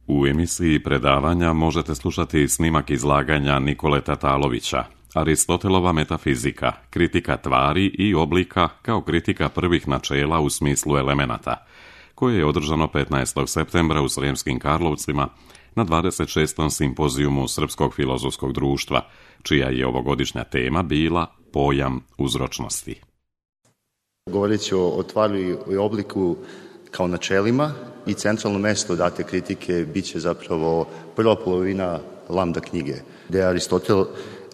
U emisiji predavanja možete slušati snimak izlaganja Nikole Tatalovića, Aristotelova metafizika, kritika tvari i oblika kao kritika prvih načela u smislu elemenata, koje je održano 15. septembra u Sremskim Karlovcima na 26. simpozijumu Srpskog filozofskog društva, čija je ovogodišnja tema bila pojam uzročnosti. Govoreći o tvari i obliku kao načelima i centralno mesto date kritike bit će zapravo prva polovina Lambda knjige, gde Aristotel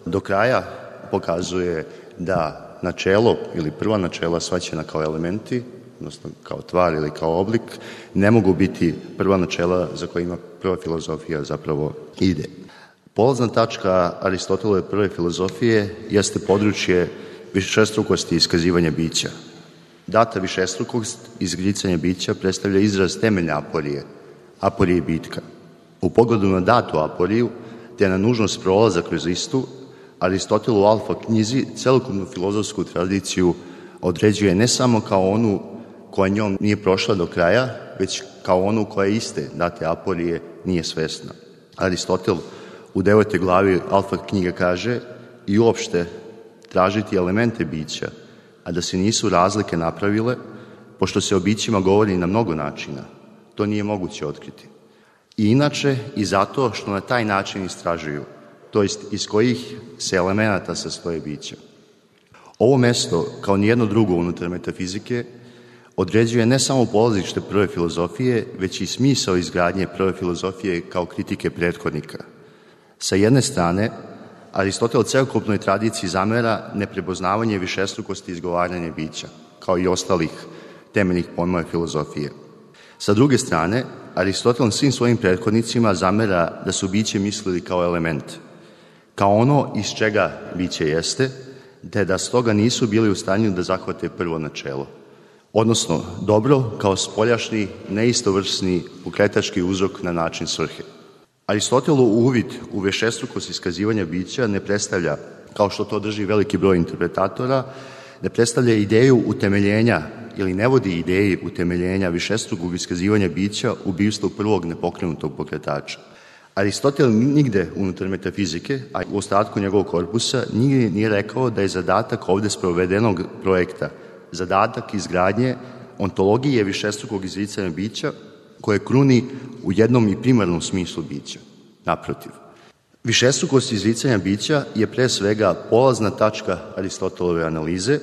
do kraja pokazuje da načelo ili prva načela shvaćena kao elementi, odnosno kao tvar ili kao oblik, ne mogu biti prva načela za kojima prva filozofija zapravo ide. Polazna tačka Aristotelove prve filozofije jeste područje višestrukosti iskazivanja bića. Data višestrukost izgricanja bića predstavlja izraz temeljne aporije bitka. U pogledu na datu aporiju, te na nužnost prolaza kroz istu, Aristotel u Alfa knjizi celokupnu filozofsku tradiciju određuje ne samo kao onu koja njom nije prošla do kraja, već kao onu koja iste date aporije nije svesna. Aristotel u 9. glavi Alfa knjige kaže i uopšte tražiti elemente bića, a da se nisu razlike napravile, pošto se o bićima govori na mnogo načina, to nije moguće otkriti. I inače i zato što na taj način istražuju, to jest iz kojih se elemenata sastoje bića. Ovo mesto, kao nijedno drugo unutar metafizike, određuje ne samo polazište prve filozofije, već i smisao izgradnje prve filozofije kao kritike prethodnika. Sa jedne strane, Aristotel celokupnoj tradiciji zamera neprepoznavanje višestrukosti izgovaranja bića, kao i ostalih temeljnih pojmova filozofije. Sa druge strane, Aristotel svim svojim prethodnicima zamera da su biće mislili kao element, kao ono iz čega biće jeste, te da stoga nisu bili u stanju da zahvate prvo načelo, odnosno dobro kao spoljašnji, neistovrsni, pokretački uzrok na način svrhe. Aristotelov uvid u višestrukost iskazivanja bića ne predstavlja, kao što to drži veliki broj interpretatora, ne predstavlja ideju utemeljenja ili ne vodi ideji utemeljenja višestrukog iskazivanja bića u bivstvu prvog nepokrenutog pokretača. Aristotel nigde unutar metafizike, a u ostatku njegovog korpusa, nigde nije rekao da je zadatak ovde sprovedenog projekta zadatak izgradnje ontologije višestrukog izricanja bića koje kruni u jednom i primarnom smislu bića. Naprotiv, višestrukost izricanja bića je pre svega polazna tačka Aristotelove analize,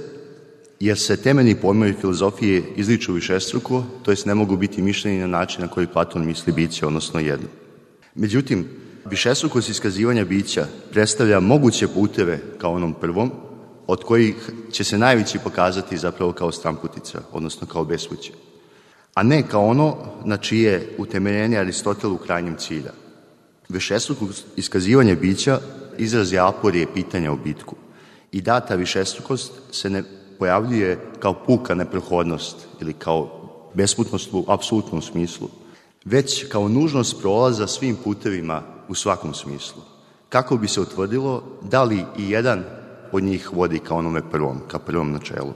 jer se temeljni pojmovi filozofije izriču višestruko, to jest ne mogu biti mišljeni na način na koji Platon misli biće, odnosno jedno. Međutim, višestrukost iskazivanja bića predstavlja moguće puteve kao onom prvom, od kojih će se najveći pokazati zapravo kao stranputica, odnosno kao bespuće, a ne kao ono na čije utemeljenje Aristotel u krajnjem cilja. Višestrukost iskazivanja bića izraz je aporije pitanja o bitku i data višestrukost se ne pojavljuje kao puka neprohodnost ili kao besputnost u apsolutnom smislu, već kao nužnost prolaza svim putevima u svakom smislu, kako bi se utvrdilo da li i jedan od njih vodi ka onome prvom, ka prvom načelu.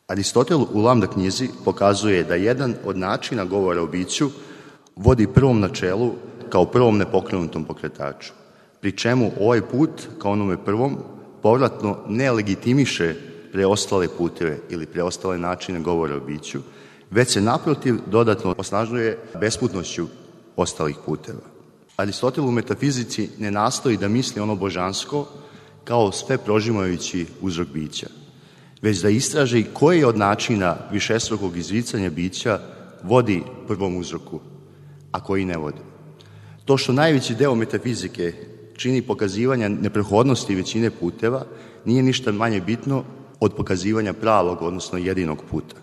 Aristotel u Lambda knjizi pokazuje da jedan od načina govora o biću vodi prvom načelu kao prvom nepokrenutom pokretaču, pri čemu ovaj put, kao onome prvom, povratno ne legitimiše preostale puteve ili preostale načine govora o biću, već se naprotiv dodatno osnažuje besputnošću ostalih puteva. Aristotel u metafizici ne nastoji da misli ono božansko kao sve prožimajući uzrok bića, već da istraži koji od načina višestrukog izricanja bića vodi prvom uzroku, a koji ne vodi. To što najveći deo metafizike čini pokazivanja neprehodnosti većine puteva nije ništa manje bitno od pokazivanja pravog, odnosno jedinog puta.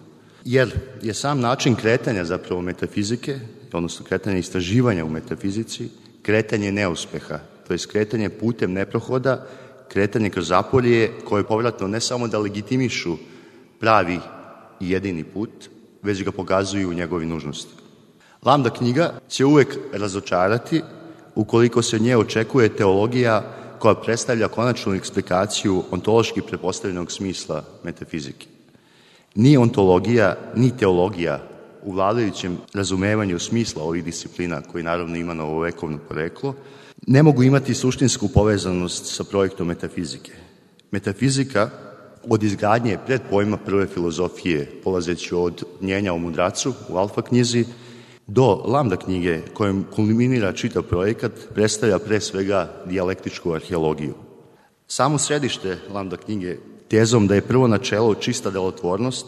Jer je sam način kretanja zapravo metafizike, odnosno kretanja istraživanja u metafizici, kretanje neuspeha, to je kretanje putem neprohoda, kretanje kroz aporije koje povratno ne samo da legitimišu pravi i jedini put, već ga pokazuju u njegovi nužnosti. Lambda knjiga će uvek razočarati ukoliko se od nje očekuje teologija koja predstavlja konačnu eksplikaciju ontološki pretpostavljenog smisla metafizike. Ni ontologija, ni teologija u vladajućem razumevanju smisla ovih disciplina, koji naravno ima novovekovno poreklo, ne mogu imati suštinsku povezanost sa projektom metafizike. Metafizika od izgradnje predpojma prve filozofije, polazeći od Mnjenja o mudracu u Alfa knjizi, do Lambda knjige, kojom kulminira čitav projekat, predstavlja pre svega dijalektičku arheologiju. Samo središte Lambda knjige, tezom da je prvo načelo čista delotvornost,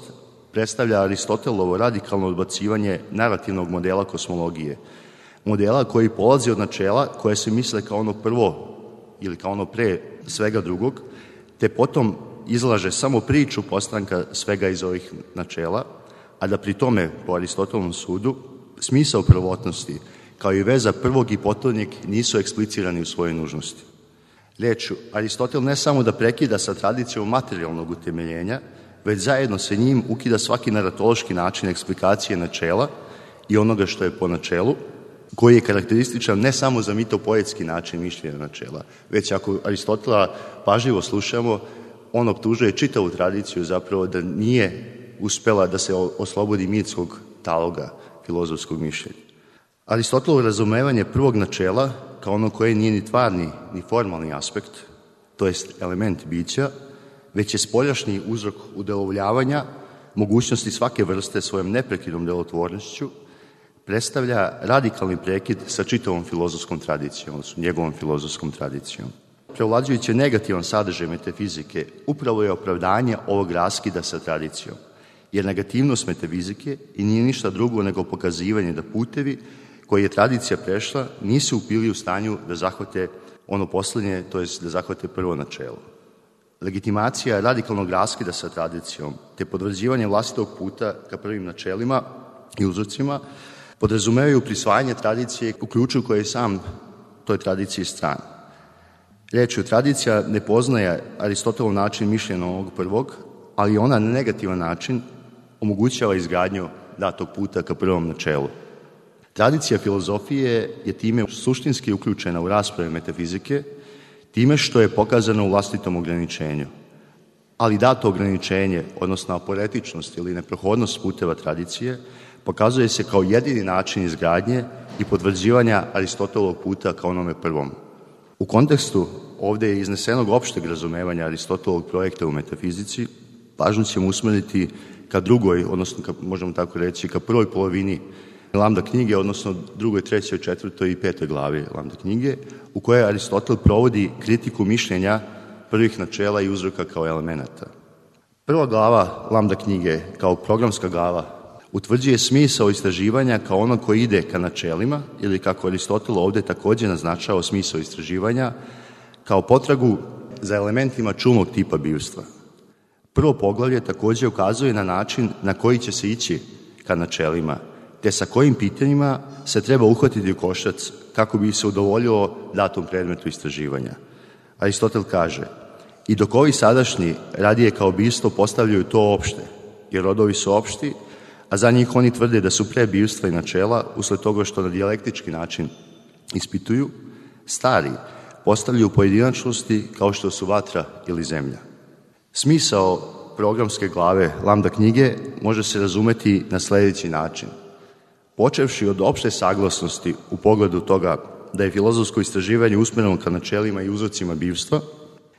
predstavlja Aristotelovo radikalno odbacivanje narativnog modela kosmologije, modela koji polazi od načela koje se misle kao ono prvo ili kao ono pre svega drugog, te potom izlaže samo priču postanka svega iz ovih načela, a da pri tome, po Aristotelovom sudu, smisao prvotnosti, kao i veza prvog i potonjeg, nisu eksplicirani u svojoj nužnosti. Rečju, Aristotel ne samo da prekida sa tradicijom materijalnog utemeljenja, već zajedno sa njim ukida svaki naratološki način eksplikacije načela i onoga što je po načelu, koji je karakterističan ne samo za mitopoetski način mišljenja načela, već ako Aristotela pažljivo slušamo, on optužuje čitavu tradiciju zapravo da nije uspela da se oslobodi mitskog taloga filozofskog mišljenja. Aristotelovo razumevanje prvog načela, kao ono koje nije ni tvarni, ni formalni aspekt, to jest element bića, već je spoljašnji uzrok udelovljavanja mogućnosti svake vrste svojom neprekidnom delotvornošću, predstavlja radikalni prekid sa čitavom filozofskom tradicijom, odnosno njegovom filozofskom tradicijom. Prevlađujući negativan sadržaj metafizike upravo je opravdanje ovog raskida sa tradicijom, jer negativnost metafizike i nije ništa drugo nego pokazivanje da putevi koje je tradicija prešla nisu bili u stanju da zahvate ono poslednje, to jest da zahvate prvo načelo. Legitimacija radikalnog raskida sa tradicijom te potvrđivanje vlastitog puta ka prvim načelima i uzorcima podrazumevaju prisvajanje tradicije u ključu koji je sam toj tradiciji stran. Rečju, tradicija ne poznaje Aristotelov način mišljenja ovog prvog, ali ona na negativan način omogućava izgradnju datog puta ka prvom načelu. Tradicija filozofije je time suštinski uključena u rasprave metafizike, time što je pokazano u vlastitom ograničenju. Ali dato ograničenje, odnosno aporetičnost ili neprohodnost puteva tradicije, pokazuje se kao jedini način izgradnje i potvrđivanja Aristotelovog puta kao onome prvom. U kontekstu ovde iznesenog opšteg razumevanja Aristotelovog projekta u metafizici, pažnju ćemo usmeriti ka drugoj, odnosno možemo tako reći, ka prvoj polovini Lambda knjige, odnosno drugoj, trećoj, četvrtoj i petoj glavi Lambda knjige, u kojoj Aristotel provodi kritiku mišljenja prvih načela i uzroka kao elemenata. Prva glava Lambda knjige, kao programska glava, utvrđuje smisao istraživanja kao ono koji ide ka načelima, ili kako Aristotel ovde takođe naznačao smisao istraživanja, kao potragu za elementima čulnog tipa bivstva. Prvo poglavlje takođe ukazuje na način na koji će se ići ka načelima, te sa kojim pitanjima se treba uhvatiti u koštac kako bi se udovoljilo datom predmetu istraživanja. Aristotel kaže, i dok ovi sadašnji radije kao bivstvo postavljaju to opšte, jer rodovi su opšti, a za njih oni tvrde da su pre bivstva i načela, usled toga što na dijalektički način ispituju, stari postavljaju pojedinačnosti kao što su vatra ili zemlja. Smisao programske glave Lambda knjige može se razumeti na sledeći način. Počevši od opšte saglasnosti u pogledu toga da je filozofsko istraživanje usmereno ka načelima i uzrocima bivstva,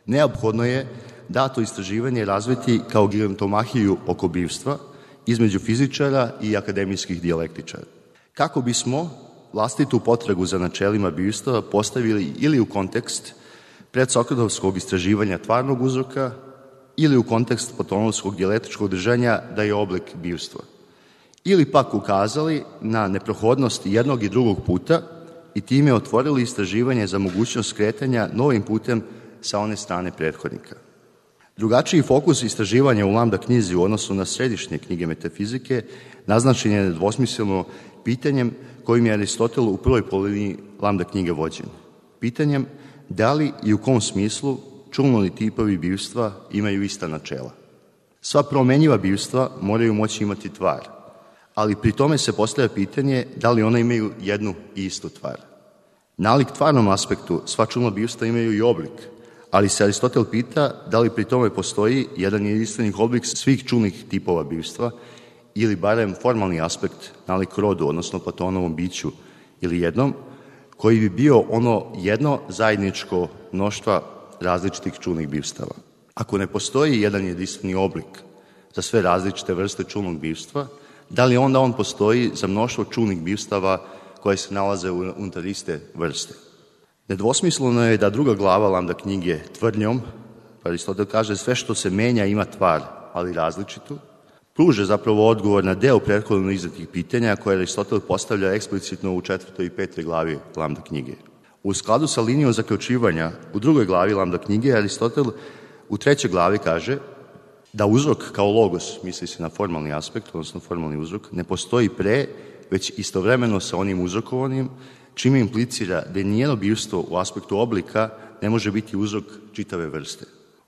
neophodno je dato istraživanje razviti kao gigantomahiju oko bivstva između fizičara i akademijskih dijalektičara. Kako bismo vlastitu potragu za načelima bivstva postavili ili u kontekst predsokratovskog istraživanja tvarnog uzroka ili u kontekst platonovskog dijalektičkog držanja da je oblik bivstva. Ili pak ukazali na neprohodnost jednog i drugog puta i time otvorili istraživanje za mogućnost skretanja novim putem sa one strane prethodnika. Drugačiji fokus istraživanja u Lambda knjizi u odnosu na središnje knjige metafizike naznačen je nedvosmisleno pitanjem kojim je Aristotel u prvoj polovini Lambda knjige vođen. Pitanjem da li i u kom smislu čulni tipovi bivstva imaju ista načela. Sva promenjiva bivstva moraju moći imati tvar, ali pri tome se postavlja pitanje da li ona imaju jednu i istu tvar. Nalik tvarnom aspektu sva čulna bivstva imaju i oblik, ali se Aristotel pita da li pri tome postoji jedan jedinstveni oblik svih čulnih tipova bivstva ili barem formalni aspekt nalik rodu, odnosno Platonovom biću ili jednom, koji bi bio ono jedno zajedničko mnoštva različitih čulnih bivstava. Ako ne postoji jedan jedinstveni oblik za sve različite vrste čulnog bivstva, da li onda on postoji za mnoštvo čulnih bivstava koje se nalaze unutar iste vrste? Nedvosmisleno je da druga glava Lambda knjige tvrdnjom, Aristotel kaže sve što se menja ima tvar, ali različitu, pruže zapravo odgovor na deo prethodno izdatih pitanja koje Aristotel postavlja eksplicitno u 4. i 5. glavi Lambda knjige. U skladu sa linijom zaključivanja u 2. glavi Lambda knjige Aristotel u 3. glavi kaže da uzrok kao logos, misli se na formalni aspekt, odnosno formalni uzrok, ne postoji pre, već istovremeno sa onim uzrokovanim, čime implicira da nijedno bivstvo u aspektu oblika ne može biti uzrok čitave vrste.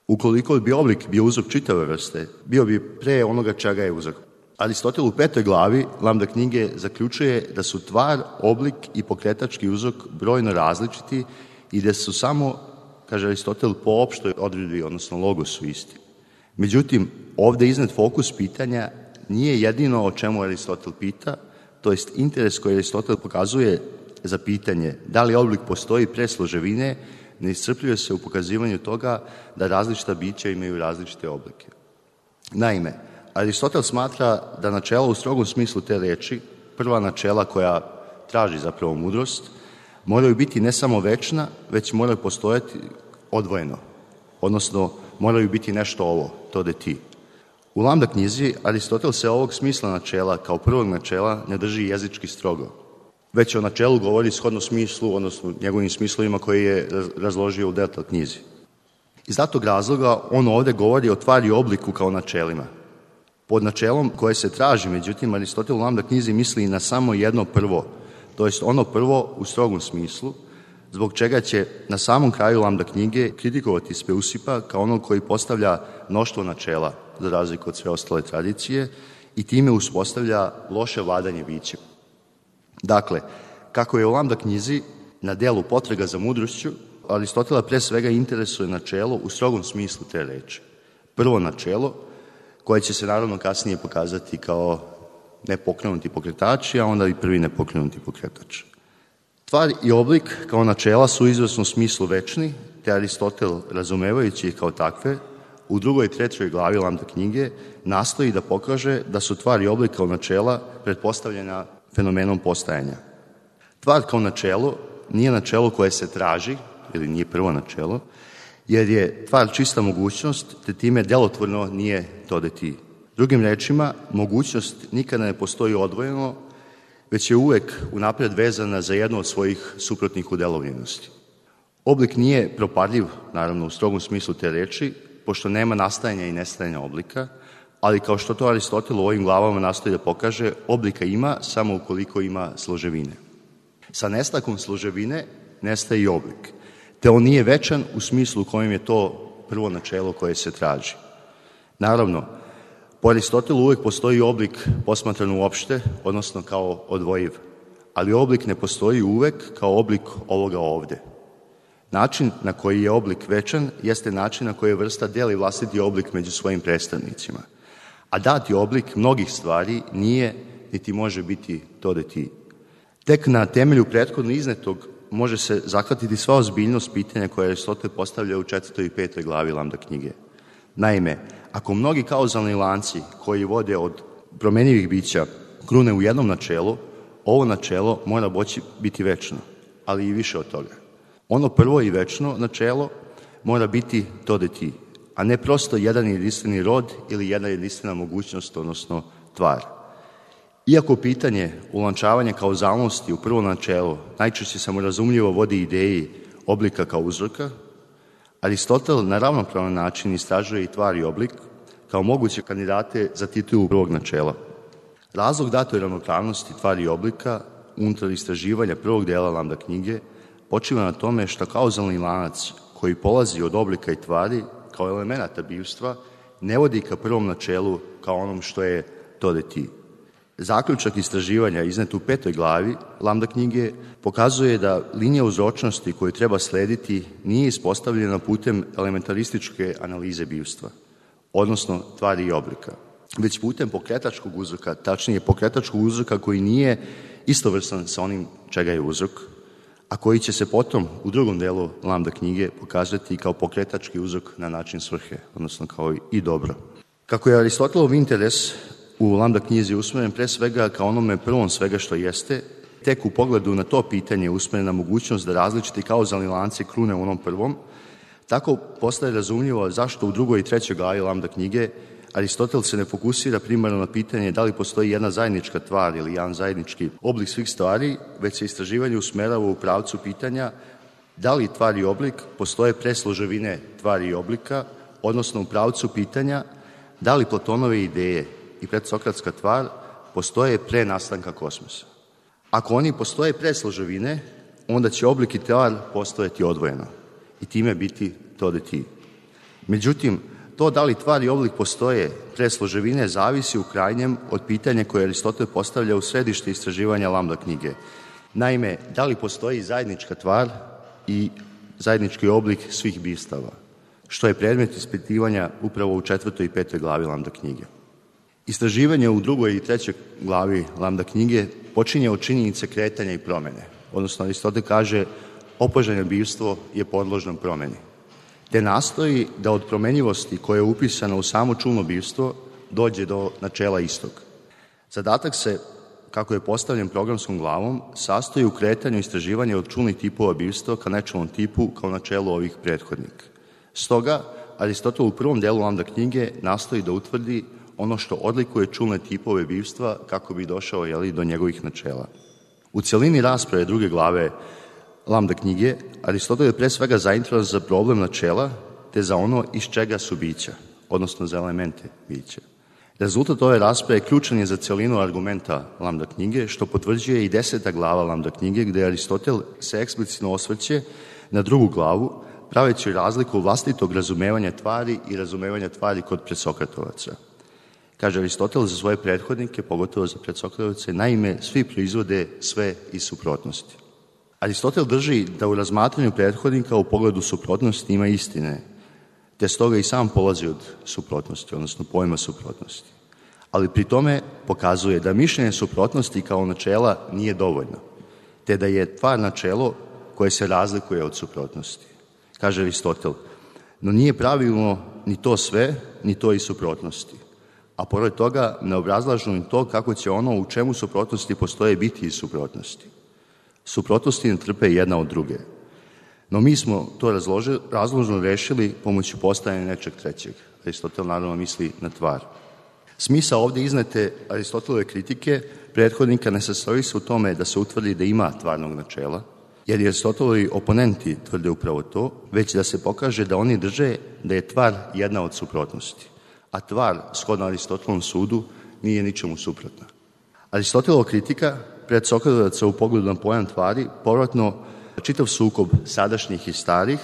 Ukoliko bi oblik bio uzrok čitave vrste, bio bi pre onoga čega je uzrok. Aristotel u 5. glavi Lambda knjige zaključuje da su tvar, oblik i pokretački uzrok brojno različiti i da su samo, kaže Aristotel, po opštoj odredbi, odnosno logosu isti. Međutim, ovde iznad fokus pitanja nije jedino o čemu Aristotel pita, to jest interes koji Aristotel pokazuje za pitanje da li oblik postoji pre složevine, ne iscrpljuje se u pokazivanju toga da različita bića imaju različite oblike. Naime, Aristotel smatra da načela u strogom smislu te reči, prva načela koja traži zapravo mudrost, moraju biti ne samo večna, već moraju postojati odvojeno, odnosno moraju biti nešto ovo, to da ti. U Lambda knjizi Aristotel se ovog smisla načela kao prvog načela ne drži jezički strogo, već o načelu govori shodno smislu, odnosno njegovim smislovima koji je razložio u Delta knjizi. Iz datog razloga on ovde govori o tvari i obliku kao načelima. Pod načelom koje se traži, međutim, Aristotel u Lambda knjizi misli na samo jedno prvo, to jest ono prvo u strogom smislu, zbog čega će na samom kraju Lambda knjige kritikovati Speusipa kao onog koji postavlja mnoštvo načela, za razliku od sve ostale tradicije, i time uspostavlja loše vladanje bićem. Dakle, kako je u Lambda knjizi na delu potraga za mudrošću, Aristotela pre svega interesuje načelo u strogom smislu te reči. Prvo načelo, koje će se naravno kasnije pokazati kao nepokrenuti pokretači, a onda i prvi nepokrenuti pokretač. Tvar i oblik kao načela su u izvesnom smislu večni, te Aristotel, razumevajući ih kao takve, u 2. i 3. glavi Lambda knjige nastoji da pokaže da su tvar i oblik kao načela pretpostavljena fenomenom postajanja. Tvar kao načelo nije načelo koje se traži, ili nije prvo načelo, jer je tvar čista mogućnost, te time delotvorno nije to da ti. Drugim rečima, mogućnost nikada ne postoji odvojeno, već je uvek unapred vezana za jednu od svojih suprotnih udelovljenosti. Oblik nije propadljiv, naravno u strogom smislu te reči, pošto nema nastajanja i nestajanja oblika, ali kao što to Aristotel u ovim glavama nastoji da pokaže, oblika ima samo ukoliko ima složevine. Sa nestakom složevine nestaje i oblik, te on nije večan u smislu u kojem je to prvo načelo koje se traži. Naravno, po Aristotelu uvek postoji oblik posmatran uopšte, odnosno kao odvojiv, ali oblik ne postoji uvek kao oblik ovoga ovde. Način na koji je oblik večan jeste način na koji vrsta deli vlastiti oblik među svojim predstavnicima, a dati oblik mnogih stvari nije niti može biti to da ti. Tek na temelju prethodno iznetog može se zahvatiti sva ozbiljnost pitanja koje Aristotel postavlja u 4. i 5. glavi Lambda knjige. Naime, ako mnogi kauzalni lanci koji vode od promenjivih bića krune u jednom načelu, ovo načelo mora biti večno, ali i više od toga. Ono prvo i večno načelo mora biti to da ti, a ne prosto jedan jedinstveni rod ili jedna jedinstvena mogućnost, odnosno tvar. Iako pitanje ulančavanja kauzalnosti u prvo načelo najčešće samorazumljivo vodi ideji oblika kao uzroka, Aristotel na ravnopravan način istražuje i tvar i oblik kao moguće kandidate za titulu prvog načela. Razlog datoj ravnopravnosti tvari i oblika unutar istraživanja prvog dela Lambda knjige počiva na tome što kauzalni lanac koji polazi od oblika i tvari kao elemenata bivstva ne vodi ka prvom načelu kao onom što je to da ti. Zaključak istraživanja iznet u 5. glavi Lambda knjige pokazuje da linija uzročnosti koju treba slediti nije ispostavljena putem elementarističke analize bivstva, odnosno tvari i oblika. već putem pokretačkog uzroka, tačnije pokretačkog uzroka koji nije istovrstan sa onim čega je uzrok, a koji će se potom u drugom delu lambda knjige pokazati kao pokretački uzrok na način svrhe, odnosno kao i dobro. Kako je Aristotelov interes u lambda knjizi usmeren pre svega kao onome prvom svega što jeste, tek u pogledu na to pitanje usmerena mogućnost da različiti kauzalni lanci krune u onom prvom, tako postaje razumljivo zašto u drugoj i trećoj glavi lambda knjige Aristotel se ne fokusira primarno na pitanje da li postoji jedna zajednička tvar ili jedan zajednički oblik svih stvari, već se istraživanje usmerava u pravcu pitanja da li tvar i oblik postoje pre složevine tvari i oblika, odnosno u pravcu pitanja da li Platonove ideje i predsokratska tvar postoje pre nastanka kosmosa. Ako oni postoje pre složevine, onda će oblik i tvar postojati odvojeno i time biti to da ti. Međutim, to da li tvar i oblik postoje pre složevine zavisi u krajnjem od pitanja koje Aristotel postavlja u središte istraživanja lambda knjige. Naime, da li postoji zajednička tvar i zajednički oblik svih bistava, što je predmet ispitivanja upravo u 4. i 5. glavi lambda knjige. Istraživanje u 2. i 3. glavi lambda knjige počinje od činjenice kretanja i promene, odnosno Aristotel kaže opoženo bivstvo je podložno promeni, te nastoji da od promenjivosti koja je upisana u samo čulno bivstvo dođe do načela istog. Zadatak se, kako je postavljen programskom glavom, sastoji u kretanju istraživanja od čulnih tipova bivstva ka nečulnom tipu kao načelu ovih prethodnika. Stoga, Aristotel u prvom delu lambda knjige nastoji da utvrdi ono što odlikuje čulne tipove bivstva kako bi došao do njegovih načela. U cjelini rasprave druge glave lambda knjige, Aristotel je pre svega zainteresovan za problem načela, te za ono iz čega su bića, odnosno za elemente bića. Rezultat ove rasprave ključan je za cjelinu argumenta lambda knjige, što potvrđuje i 10. glava lambda knjige, gde Aristotel se eksplicitno osvrće na drugu glavu, praveći razliku vlastitog razumevanja tvari i razumevanja tvari kod predsokratovaca. Kaže Aristotel za svoje prethodnike, pogotovo za predsokratovace, naime, svi proizvode sve iz suprotnosti. Aristotel drži da u razmatranju prethodnika u pogledu suprotnosti ima istine, te stoga i sam polazi od suprotnosti, odnosno pojma suprotnosti. Ali pri tome pokazuje da mišljenje suprotnosti kao načela nije dovoljno, te da je tvar načelo koje se razlikuje od suprotnosti. Kaže Aristotel, no nije pravilno ni to sve, ni to i suprotnosti. A pored toga ne obrazlažu ni to kako će ono u čemu suprotnosti postoje biti iz suprotnosti. Suprotnosti ne trpe jedna od druge. No mi smo to razložno rešili pomoću postajanja nečeg trećeg. Aristotel naravno misli na tvar. Smisao ovdje iznete Aristotelove kritike prethodnika ne sastoji se u tome da se utvrdi da ima tvarnog načela, jer Aristotelovi oponenti tvrde upravo to, već da se pokaže da oni drže da je tvar jedna od suprotnosti, a tvar, shodno Aristotelovom sudu, nije ničemu suprotna. Aristotelova kritika predsokratovaca u pogledu na pojam tvari povratno čitav sukob sadašnjih i starih,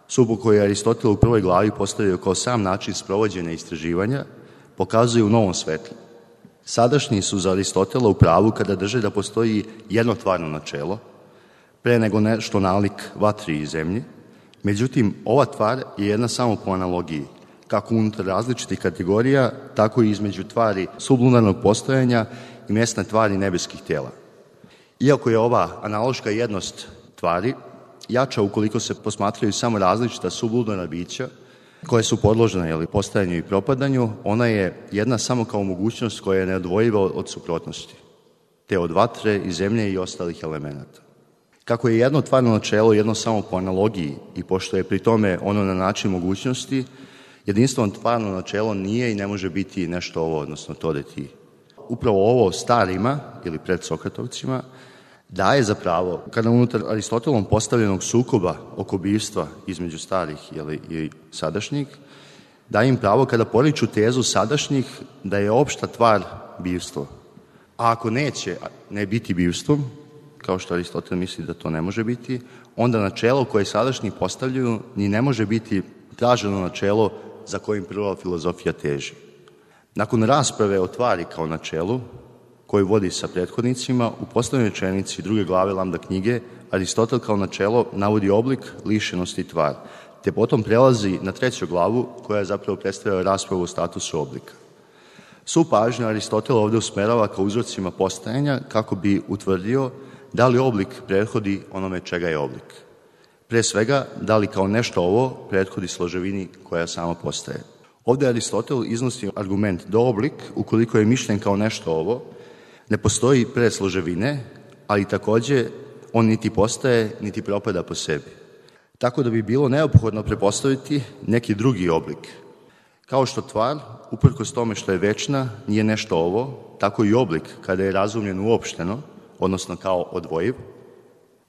sukob koji je Aristotel u prvoj glavi postavio kao sam način sprovođenja istraživanja, pokazuje u novom svetlu. Sadašnji su za Aristotela u pravu kada drže da postoji jedno tvarno načelo, pre nego nešto nalik vatri i zemlji. Međutim, ova tvar je jedna samo po analogiji, kako unutar različitih kategorija, tako i između tvari sublunarnog postojanja i mjesne tvari nebeskih tela. Iako je ova analoška jednost tvari jača ukoliko se posmatraju samo različita sublunarna bića koje su podložene postajanju i propadanju, ona je jedna samo kao mogućnost koja je neodvojiva od suprotnosti, te od vatre i zemlje i ostalih elemenata. Kako je jedno tvarno načelo jedno samo po analogiji i pošto je pri tome ono na način mogućnosti, jedinstveno tvarno načelo nije i ne može biti nešto ovo, odnosno to da ti. Upravo ovo starima ili predsokratovcima daje za pravo, kada unutar Aristotelom postavljenog sukoba oko bivstva između starih i sadašnjih, daje im pravo kada poriču tezu sadašnjih da je opšta tvar bivstvo. A ako neće ne biti bivstvom, kao što Aristotel misli da to ne može biti, onda načelo koje sadašnji postavljaju ni ne može biti traženo načelo za kojim prva filozofija teži. Nakon rasprave o tvari kao načelu, koju vodi sa prethodnicima, u poslednjoj rečenici druge glave lambda knjige, Aristotel kao načelo navodi oblik, lišenosti i tvar, te potom prelazi na treću glavu koja je zapravo predstavlja raspravu o statusu oblika. Svu pažnju Aristotel ovde usmerava ka uzrocima postajanja kako bi utvrdio da li oblik prethodi onome čega je oblik. Pre svega, da li kao nešto ovo prethodi složevini koja sama postaje. Ovde Aristotel iznosi argument da oblik, ukoliko je mišljen kao nešto ovo, ne postoji pre složevine, ali takođe on niti postaje, niti propada po sebi. Tako da bi bilo neophodno prepostaviti neki drugi oblik. Kao što tvar, uprkos tome što je večna, nije nešto ovo, tako i oblik, kada je razumljen uopšteno, odnosno kao odvojiv,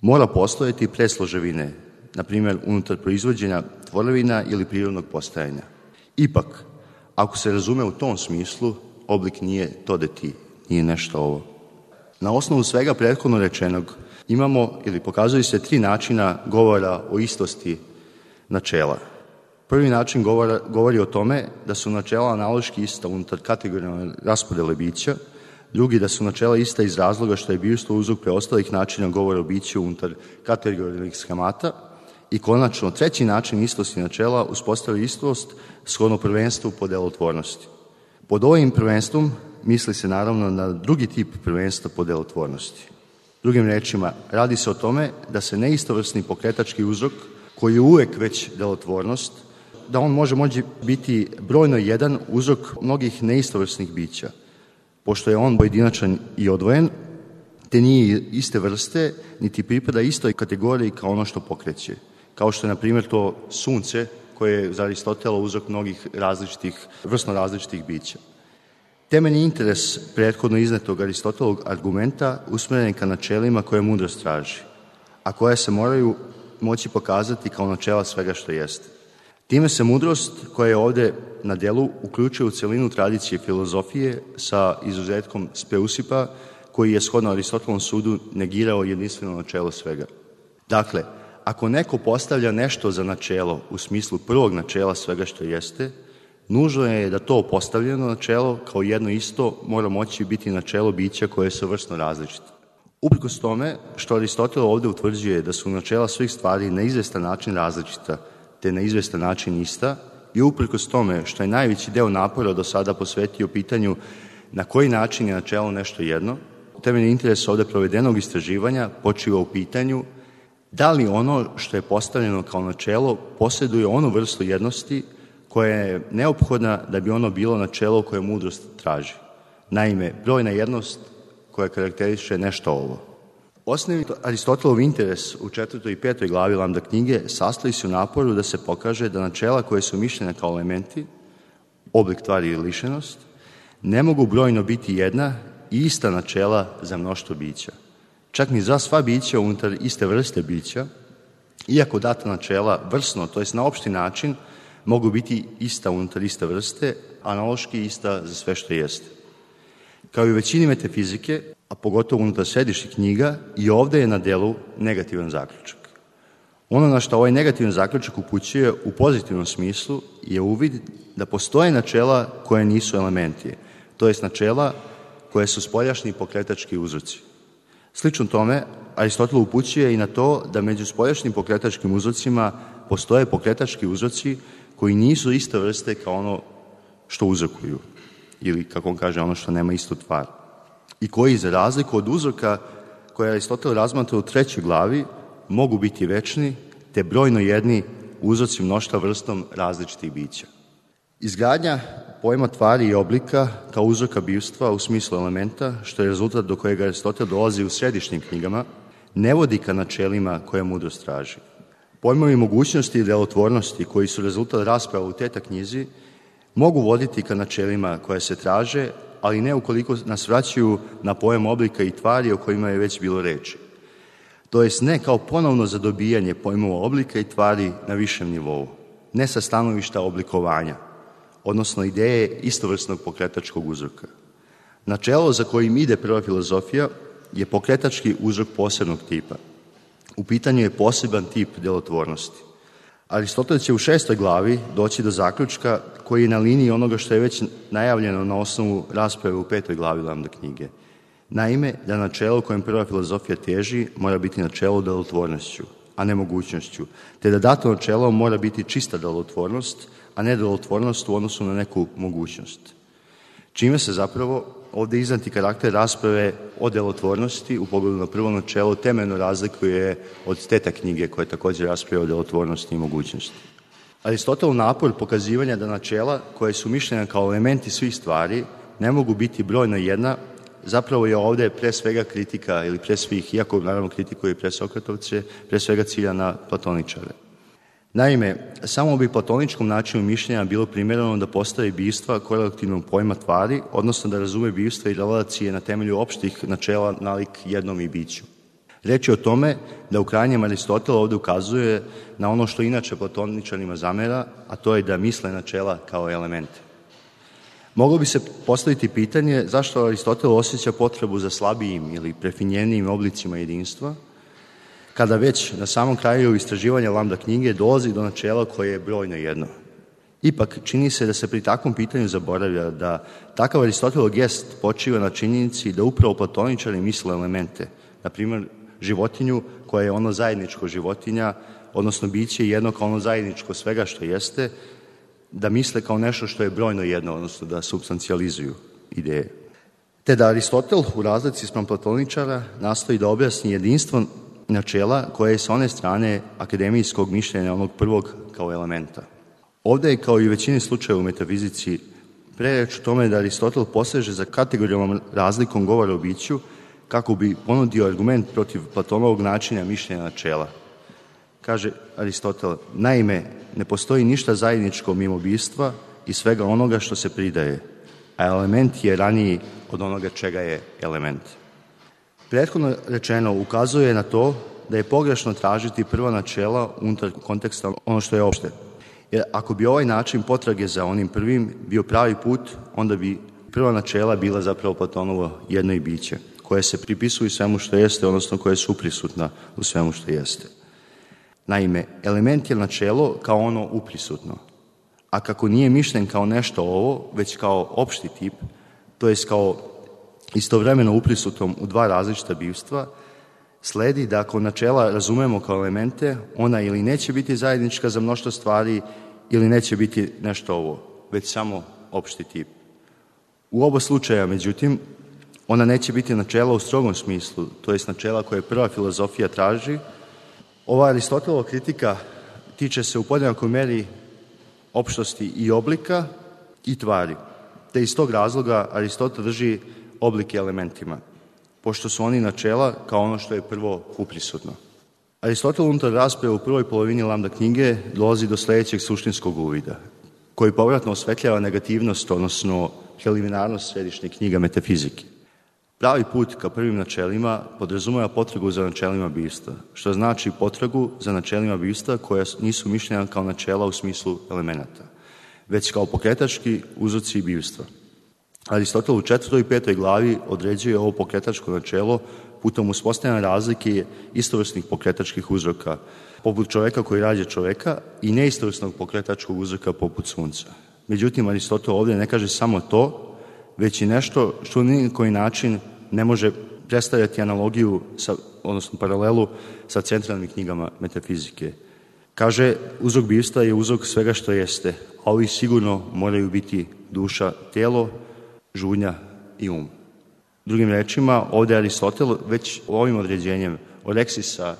mora postojati pre složevine, na primjer unutar proizvođenja tvorevina ili prirodnog postajanja. Ipak, ako se razume u tom smislu, oblik nije to da ti, nije nešto ovo. Na osnovu svega prethodno rečenog imamo ili pokazuju se 3 načina govora o istosti načela. Prvi način govori o tome da su načela analoški ista unutar kategorijalne raspodele bića, drugi da su načela ista iz razloga što je bivstvo uzrok preostalih načina govora o biću unutar kategorijalnih schemata i konačno treći način istosti načela uspostavlja istost shodno prvenstvu po delotvornosti. Pod ovim prvenstvom misli se naravno na drugi tip prvenstva po delotvornosti. Drugim rečima, radi se o tome da se neistovrsni pokretački uzrok, koji je uvek već delotvornost, da on može biti brojno jedan uzrok mnogih neistovrsnih bića, pošto je on pojedinačan i odvojen, te nije iste vrste, niti pripada istoj kategoriji kao ono što pokreće, kao što je, na primjer, to sunce, koje je za Aristotela uzrok mnogih vrstno različitih bića. Temeljni interes prethodno iznetog Aristotelovog argumenta usmeren je ka načelima koje mudrost traži, a koje se moraju moći pokazati kao načela svega što jeste. Time se mudrost, koja je ovde na delu, uključuje u celinu tradicije filozofije sa izuzetkom Speusipa, koji je shodno Aristotelovom sudu negirao jedinstveno načelo svega. Dakle, ako neko postavlja nešto za načelo u smislu prvog načela svega što jeste, nužno je da to postavljeno načelo kao jedno isto mora moći biti načelo bića koje su vrstno različite. Uprkos tome što Aristotel ovde utvrđuje da su načela svih stvari na izvestan način različita, te na izvestan način ista, i uprkos tome što je najveći deo napora do sada posvetio pitanju na koji način je načelo nešto jedno, temeljni interes ovde provedenog istraživanja počiva u pitanju da li ono što je postavljeno kao načelo posjeduje onu vrstu jednosti koja je neophodna da bi ono bilo načelo koje mudrost traži. Naime, brojna jednost koja karakteriše nešto ovo. Osnovni Aristotelov interes u 4. i 5. glavi Lambda knjige sastoji se u naporu da se pokaže da načela koje su mišljene kao elementi, oblik, tvari i lišenost, ne mogu brojno biti jedna i ista načela za mnoštvo bića. Čak ni za sva bića unutar iste vrste bića, iako data načela vrsno, to jest na opšti način, mogu biti ista unutar iste vrste, analoški ista za sve što jeste. Kao i u većini metafizike, a pogotovo unutar središnjih knjiga, i ovde je na delu negativan zaključak. Ono na što ovaj negativan zaključak upućuje u pozitivnom smislu je uvid da postoje načela koje nisu elementi, to jest načela koje su spoljašnji pokretački uzroci. Slično tome, Aristotel upućuje i na to da među spoljašnjim pokretačkim uzrocima postoje pokretački uzroci koji nisu iste vrste kao ono što uzrokuju, ili, kako on kaže, ono što nema istu tvar, i koji, za razliku od uzroka koje Aristotel razmatra u 3. glavi, mogu biti večni, te brojno jedni uzroci mnoštva vrstom različitih bića. Izgradnja pojma tvari i oblika kao uzroka bivstva u smislu elementa, što je rezultat do kojeg Aristotel dolazi u središnjim knjigama, ne vodi ka načelima koje mudrost traži. Pojmovi mogućnosti i delotvornosti, koji su rezultat rasprava u Teta knjizi, mogu voditi ka načelima koje se traže, ali ne ukoliko nas vraćaju na pojam oblika i tvari o kojima je već bilo reči. To jest ne kao ponovno zadobijanje pojmova oblika i tvari na višem nivou, ne sa stanovišta oblikovanja, odnosno ideje istovrsnog pokretačkog uzroka. Načelo za kojim ide prva filozofija je pokretački uzrok posebnog tipa. U pitanju je poseban tip delotvornosti. Aristotel će u 6. glavi doći do zaključka koji je na liniji onoga što je već najavljeno na osnovu rasprave u 5. glavi Lambda knjige. Naime, da načelo kojem prva filozofija teži mora biti načelo delotvornošću, a ne mogućnošću, te da dato načelo mora biti čista delotvornost, a ne delotvornost u odnosu na neku mogućnost. čime se zapravo ovde iznati karakter rasprave o delotvornosti u pogledu na prvo načelo temeljno razlikuje od teta knjige koja takođe raspravlja o delotvornosti i mogućnosti. Aristotelov napor pokazivanja da načela koje su mišljena kao elementi svih stvari ne mogu biti brojno jedna, zapravo je ovde pre svega kritika ili pre svih, iako naravno kritikuje i presokratovce, pre svega cilja na platoničare. Naime, samo bi platoničkom načinu mišljenja bilo primjereno da postavi bistva korelativnog pojma tvari, odnosno da razume bistva i relacije na temelju opštih načela nalik jednom i biću. Reč je o tome da u krajnjem Aristotel ovde ukazuje na ono što inače platoničarima zamera, a to je da misle načela kao elemente. Moglo bi se postaviti pitanje zašto Aristotel osjeća potrebu za slabijim ili prefinjenijim oblicima jedinstva, kada već na samom kraju istraživanja lambda knjige dolazi do načela koje je brojno jedno. Ipak, čini se da se pri takvom pitanju zaboravlja da takav Aristotelov gest počiva na činjenici da upravo platoničari misle elemente, na primjer životinju koja je ono zajedničko životinja, odnosno biće jedno kao ono zajedničko svega što jeste, da misle kao nešto što je brojno jedno, odnosno da substancijalizuju ideje. Te da Aristotel u razlici spram platoničara nastoji da objasni jedinstvo načela koje je sa one strane akademijskog mišljenja onog prvog kao elementa. Ovde je kao i u većini slučajeva u metafizici prereč o tome da Aristotel poseže za kategorijalnom razlikom govora o biću kako bi ponudio argument protiv Platonovog načina mišljenja načela. Kaže Aristotel, naime, ne postoji ništa zajedničko mimo bistva i svega onoga što se pridaje, a element je raniji od onoga čega je element. Prethodno rečeno ukazuje na to da je pogrešno tražiti prva načela unutar konteksta ono što je opšte. Jer ako bi ovaj način potrage za onim prvim bio pravi put, onda bi prva načela bila zapravo Platonovo jedno i biće, koje se pripisuju svemu što jeste, odnosno koje su prisutna u svemu što jeste. Naime, element je načelo kao ono uprisutno, a kako nije mišljen kao nešto ovo, već kao opšti tip, to jest kao istovremeno uprisutnom u dva različita bivstva, sledi da ako načela razumemo kao elemente, ona ili neće biti zajednička za mnoštvo stvari ili neće biti nešto ovo, već samo opšti tip. U oba slučaja, međutim, ona neće biti načela u strogom smislu, to jest načela koje prva filozofija traži. Ova Aristotelova kritika tiče se u podjednakoj meri opštosti i oblika i tvari, te iz tog razloga Aristotel drži oblike elementima, pošto su oni načela kao ono što je prvo uprisutno. Aristotel unutar rasprave u prvoj polovini lambda knjige dolazi do sledećeg suštinskog uvida, koji povratno osvetljava negativnost, odnosno preliminarnost središnjih knjiga metafizike. Pravi put ka prvim načelima podrazumeva potragu za načelima bistva, što znači potragu za načelima bistva koja nisu mišljena kao načela u smislu elemenata, već kao pokretački uzroci bistva. Aristotel u 4. i 5. glavi određuje ovo pokretačko načelo putom uspostavljanja razlike istovrsnih pokretačkih uzroka, poput čoveka koji rađa čoveka i neistovrsnog pokretačkog uzroka poput sunca. Međutim, Aristotel ovdje ne kaže samo to, već i nešto što ni na koji način ne može predstavljati analogiju, odnosno paralelu sa centralnim knjigama metafizike. Kaže, uzrok bistva je uzrok svega što jeste, a ovi sigurno moraju biti duša, telo, žudnja i um. Drugim rečima, ovde Aristotel već ovim određenjem Oreksisa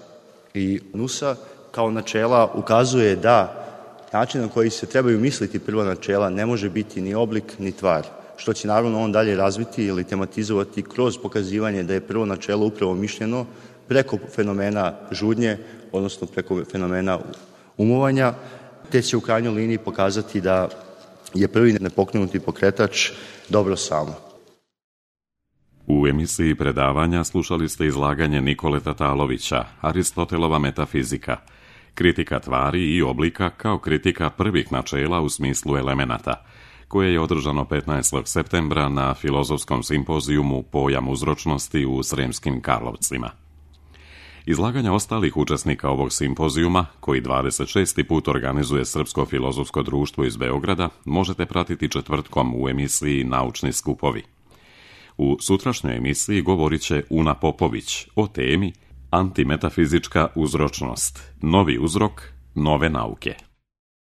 i Nusa kao načela ukazuje da način na koji se trebaju misliti prva načela ne može biti ni oblik ni tvar, što će naravno on dalje razviti ili tematizovati kroz pokazivanje da je prvo načelo upravo mišljeno preko fenomena žudnje, odnosno preko fenomena umovanja, te će u krajnjoj liniji pokazati da je prvi nepokrenuti pokretač dobro samo. U emisiji predavanja slušali ste izlaganje Nikole Tatalovića, Aristotelova metafizika, kritika tvari i oblika kao kritika prvih načela u smislu elemenata, koje je održano 15. septembra na filozofskom simpozijumu Pojam uzročnosti u Sremskim Karlovcima. Izlaganja ostalih učesnika ovog simpozijuma, koji 26. put organizuje Srpsko filozofsko društvo iz Beograda, možete pratiti četvrtkom u emisiji Naučni skupovi. U sutrašnjoj emisiji govorit će Una Popović o temi Antimetafizička uzročnost, novi uzrok, nove nauke.